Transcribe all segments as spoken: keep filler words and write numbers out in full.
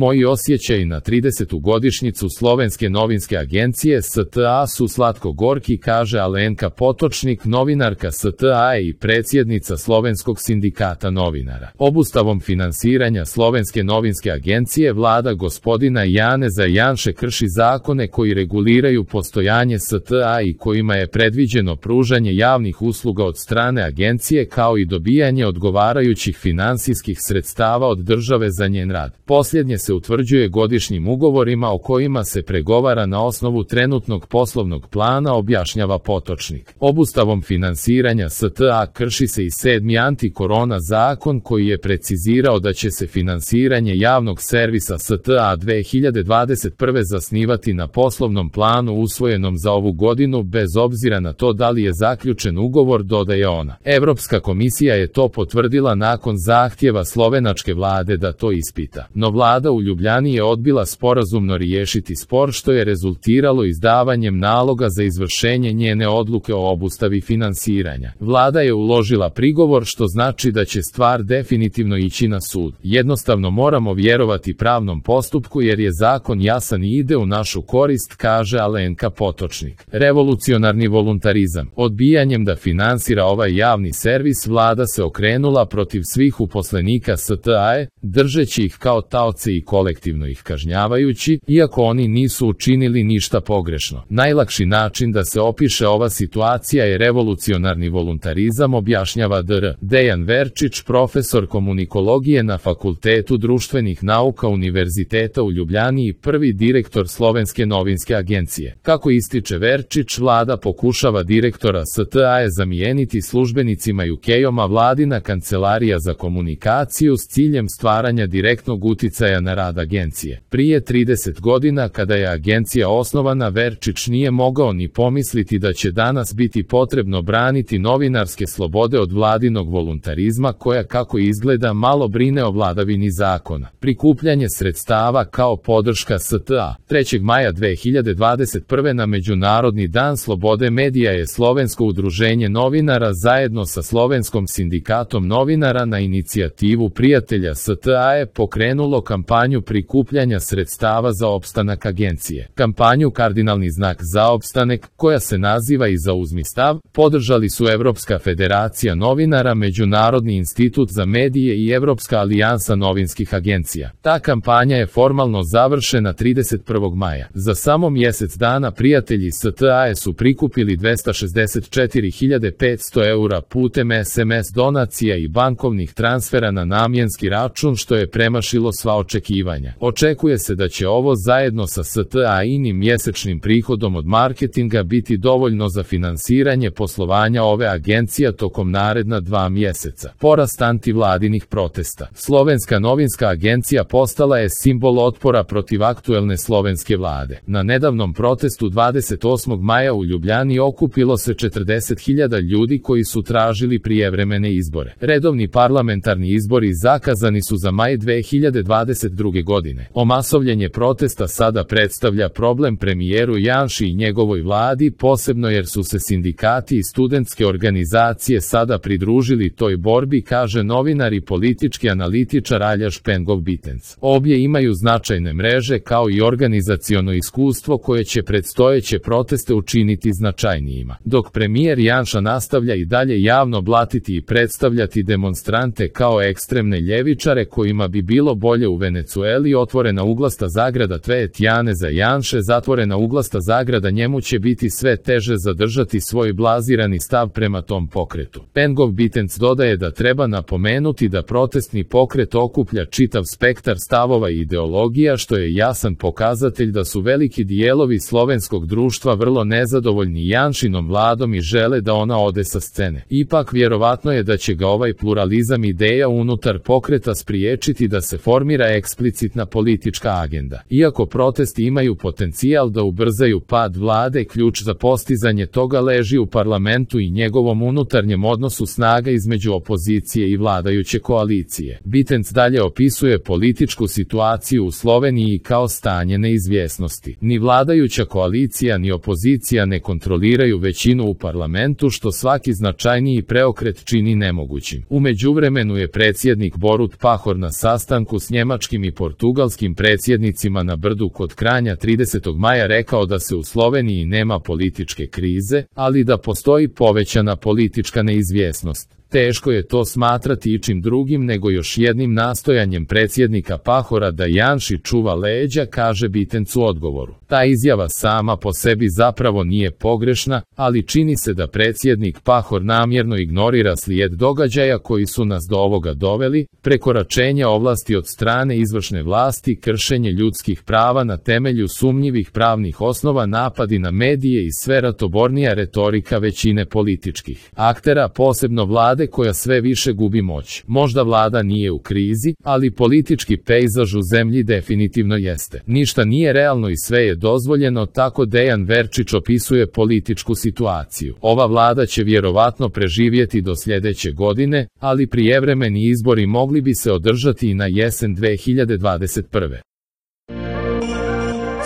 Moji osjećaji na tridesetu godišnjicu Slovenske novinske agencije S T A su slatko-gorki, kaže Alenka Potočnik, novinarka S T A i predsjednica Slovenskog sindikata novinara. Obustavom finansiranja Slovenske novinske agencije vlada gospodina Janeza Janše krši zakone koji reguliraju postojanje S T A i kojima je predviđeno pružanje javnih usluga od strane agencije kao i dobijanje odgovarajućih finansijskih sredstava od države za njen rad. Posljednje se utvrđuje godišnjim ugovorima o kojima se pregovara na osnovu trenutnog poslovnog plana, objašnjava Potočnik. Obustavom finansiranja S T A krši se i sedmi antikorona zakon koji je precizirao da će se finansiranje javnog servisa S T A dve hiljade dvadeset prve zasnivati na poslovnom planu usvojenom za ovu godinu bez obzira na to da li je zaključen ugovor, dodaje ona. Evropska komisija je to potvrdila nakon zahtjeva slovenačke vlade da to ispita. No vlada u Ljubljani je odbila sporazumno riješiti spor, što je rezultiralo izdavanjem naloga za izvršenje njene odluke o obustavi finansiranja. Vlada je uložila prigovor, što znači da će stvar definitivno ići na sud. Jednostavno moramo vjerovati pravnom postupku jer je zakon jasan i ide u našu korist, kaže Alenka Potočnik. Revolucionarni voluntarizam. Odbijanjem da finansira ovaj javni servis vlada se okrenula protiv svih uposlenika S T A-e, držeći ih kao taoce i kolektivno ih kažnjavajući, iako oni nisu učinili ništa pogrešno. Najlakši način da se opiše ova situacija je revolucionarni voluntarizam, objašnjava dr Dejan Verčić, profesor komunikologije na Fakultetu društvenih nauka Univerziteta u Ljubljani i prvi direktor Slovenske novinske agencije. Kako ističe Verčić, vlada pokušava direktora S T A-e zamijeniti službenicima U K-oma, vladina kancelarija za komunikaciju, s ciljem stvaranja direktnog uticaja na rad agencije. Prije trideset godina, kada je agencija osnovana, Verčić nije mogao ni pomisliti da će danas biti potrebno braniti novinarske slobode od vladinog voluntarizma koja, kako izgleda, malo brine o vladavini zakona. Prikupljanje sredstava kao podrška S T A. trećeg maja dve hiljade dvadeset prve na Međunarodni dan slobode medija je Slovensko udruženje novinara zajedno sa Slovenskom sindikatom novinara na inicijativu prijatelja S T A-e pokrenulo kampanju prikupljanja sredstava za opstanak agencije. Kampanju Kardinalni znak za opstanak, koja se naziva i Zauzmi stav, podržali su Evropska federacija novinara, Međunarodni institut za medije i Evropska alijansa novinskih agencija. Ta kampanja je formalno završena trideset prvog maja. Za samo mjesec dana prijatelji S T A-e su prikupili dvesta šezdeset četiri hiljade petsto eura putem S M S donacija i bankovnih transfera na namjenski račun, što je premašilo sva očekivanja. Očekuje se da će ovo zajedno sa S T A-inim mjesečnim prihodom od marketinga biti dovoljno za finansiranje poslovanja ove agencije tokom naredna dva mjeseca. Porast antivladinih protesta. Slovenska novinska agencija postala je simbol otpora protiv aktuelne slovenske vlade. Na nedavnom protestu dvadeset osmog maja u Ljubljani okupilo se četrdeset hiljada ljudi koji su tražili prijevremene izbore. Redovni parlamentarni izbori zakazani su za maj dve hiljade dvadeset druge. godine. Omasovljenje protesta sada predstavlja problem premijeru Janši i njegovoj vladi, posebno jer su se sindikati i studentske organizacije sada pridružili toj borbi, kaže novinar i politički analitičar Aljaž Pengov-Bitenc. Obje imaju značajne mreže kao i organizaciono iskustvo koje će predstojeće proteste učiniti značajnijima. Dok premijer Janša nastavlja i dalje javno blatiti i predstavljati demonstrante kao ekstremne ljevičare kojima bi bilo bolje u Venecueli, otvorena uglasta zagrada Tvet Janeza Janše, zatvorena uglasta zagrada, njemu će biti sve teže zadržati svoj blazirani stav prema tom pokretu. Pengov-Bitenc dodaje da treba napomenuti da protestni pokret okuplja čitav spektar stavova i ideologija, što je jasan pokazatelj da su veliki dijelovi slovenskog društva vrlo nezadovoljni Janšinom vladom i žele da ona ode sa scene. Ipak vjerovatno je da će ga ovaj pluralizam ideja unutar pokreta spriječiti da se formira eksplicitna politička agenda. Iako protesti imaju potencijal da ubrzaju pad vlade, ključ za postizanje toga leži u parlamentu i njegovom unutarnjem odnosu snaga između opozicije i vladajuće koalicije. Bitenc dalje opisuje političku situaciju u Sloveniji kao stanje neizvjesnosti. Ni vladajuća koalicija ni opozicija ne kontroliraju većinu u parlamentu, što svaki značajniji preokret čini nemogućim. U međuvremenu je predsjednik Borut Pahor na sastanku s njemačkim i i portugalskim predsjednicima na Brdu kod Kranja tridesetog maja rekao da se u Sloveniji nema političke krize, ali da postoji povećana politička neizvjesnost. Teško je to smatrati ičim drugim nego još jednim nastojanjem predsjednika Pahora da Janši čuva leđa, kaže Bitenc u odgovoru. Ta izjava sama po sebi zapravo nije pogrešna, ali čini se da predsjednik Pahor namjerno ignorira slijed događaja koji su nas do ovoga doveli, prekoračenja ovlasti od strane izvršne vlasti, kršenje ljudskih prava na temelju sumnjivih pravnih osnova, napadi na medije i sve ratobornija retorika većine političkih aktera, posebno vlade koja sve više gubi moć. Možda vlada nije u krizi, ali politički pejzaž u zemlji definitivno jeste. Ništa nije realno i sve je dozvoljeno, tako Dejan Verčić opisuje političku situaciju. Ova vlada će vjerovatno preživjeti do sljedeće godine, ali prijevremeni izbori mogli bi se održati i na jesen dve hiljade dvadeset prve.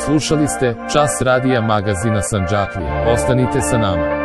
Slušali ste Čas radija magazina Sandžaklija. Ostanite sa nama.